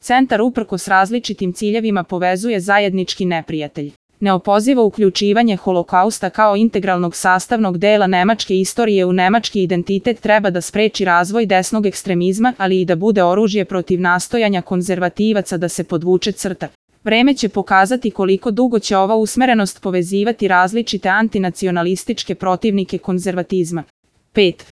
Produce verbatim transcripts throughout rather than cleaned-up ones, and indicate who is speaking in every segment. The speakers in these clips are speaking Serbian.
Speaker 1: centar uprkos različitim ciljevima povezuje zajednički neprijatelj. Neopozivo uključivanje Holokausta kao integralnog sastavnog dela nemačke istorije u nemački identitet treba da spreči razvoj desnog ekstremizma, ali i da bude oružje protiv nastojanja konzervativaca da se podvuče crta. Vreme će pokazati koliko dugo će ova usmerenost povezivati različite antinacionalističke protivnike konzervatizma. pet.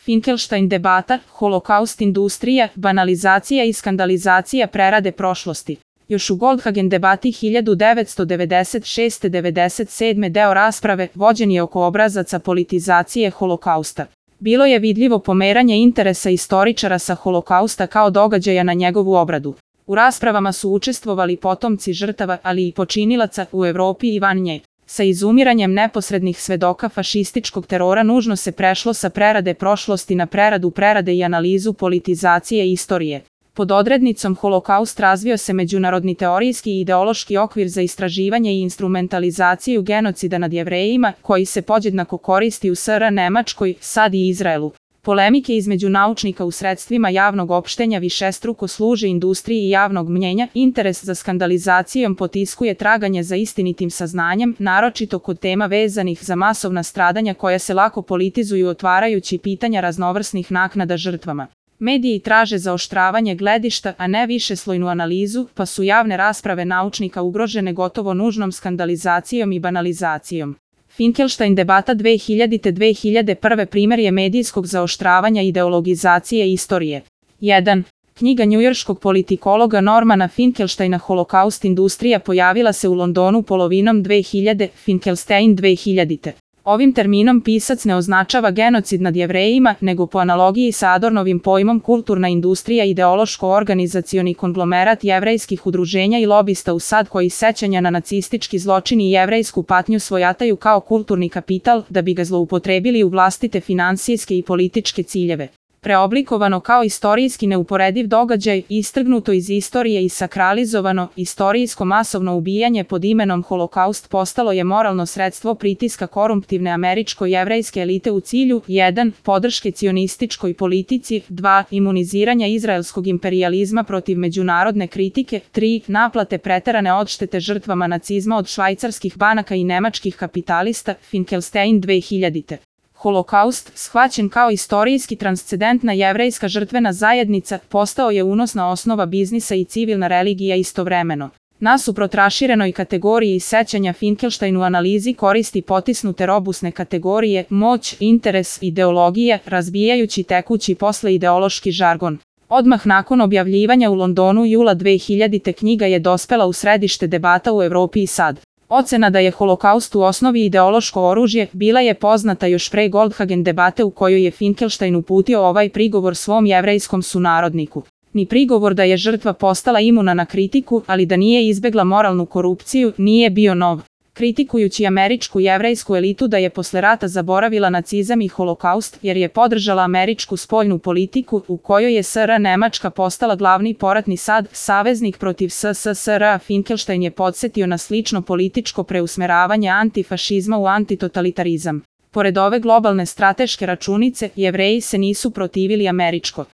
Speaker 1: Finkelstein debata, Holokaust industrija, banalizacija i skandalizacija prerade prošlosti. Još u Goldhagen debati hiljadu devetsto devedeset šeste do devedeset sedme deo rasprave vođen je oko obrazaca politizacije Holokausta. Bilo je vidljivo pomeranje interesa istoričara sa Holokausta kao događaja na njegovu obradu. U raspravama su učestvovali potomci žrtava, ali i počinilaca u Evropi i van nje. Sa izumiranjem neposrednih svedoka fašističkog terora nužno se prešlo sa prerade prošlosti na preradu prerade i analizu politizacije istorije. Pod odrednicom Holokaust razvio se međunarodni teorijski i ideološki okvir za istraživanje i instrumentalizaciju genocida nad Jevrejima, koji se podjednako koristi u S R Nemačkoj, sad i Izraelu. Polemike između naučnika u sredstvima javnog opštenja višestruko služe industriji javnog mnjenja, interes za skandalizacijom potiskuje traganje za istinitim saznanjem, naročito kod tema vezanih za masovna stradanja koja se lako politizuju otvarajući pitanja raznovrsnih naknada žrtvama. Mediji traže zaoštravanje gledišta, a ne višeslojnu analizu, pa su javne rasprave naučnika ugrožene gotovo nužnom skandalizacijom i banalizacijom. Finkelstein debata dve hiljadite do dve hiljade prve primer je medijskog zaoštravanja ideologizacije istorije. jedan. Knjiga njujorškog politikologa Normana Finkelsteina Holokaust industrija pojavila se u Londonu polovinom dve hiljade, Finkelstein dve hiljadite. Ovim terminom pisac ne označava genocid nad Jevrejima, nego po analogiji sa Adornovim pojmom kulturna industrija ideološko-organizacioni konglomerat jevrejskih udruženja i lobista u sad koji sećanja na nacistički zločin i jevrejsku patnju svojataju kao kulturni kapital da bi ga zloupotrebili u vlastite finansijske i političke ciljeve. Preoblikovano kao istorijski neuporediv događaj, istrgnuto iz istorije i sakralizovano, istorijsko masovno ubijanje pod imenom Holokaust postalo je moralno sredstvo pritiska korumptivne američko-jevrejske elite u cilju jedan. Podrške cionističkoj politici, dva. Imuniziranja izraelskog imperijalizma protiv međunarodne kritike, tri. Naplate preterane odštete žrtvama nacizma od švajcarskih banaka i nemačkih kapitalista, Finkelstein dve hiljadite. Holokaust, shvaćen kao istorijski transcendentna jevrejska žrtvena zajednica, postao je unosna osnova biznisa i civilna religija istovremeno. Nasuprot raširenoj kategoriji sećanja Finkelstein u analizi koristi potisnute robusne kategorije, moć, interes, ideologija, razbijajući tekući posle ideološki žargon. Odmah nakon objavljivanja u Londonu jula dve hiljadite knjiga je dospela u središte debata u Evropi i sad. Ocena da je Holokaust u osnovi ideološko oružje bila je poznata još pre Goldhagen debate u kojoj je Finkelstein uputio ovaj prigovor svom jevrejskom sunarodniku. Ni prigovor da je žrtva postala imuna na kritiku, ali da nije izbegla moralnu korupciju, nije bio nov. Kritikujući američku jevrejsku elitu da je posle rata zaboravila nacizam i Holokaust jer je podržala američku spoljnu politiku u kojoj je S R Nemačka postala glavni poratni sad, saveznik protiv S S S R, Finkelstein je podsjetio na slično političko preusmeravanje antifašizma u antitotalitarizam. Pored ove globalne strateške računice, Jevreji se nisu protivili američko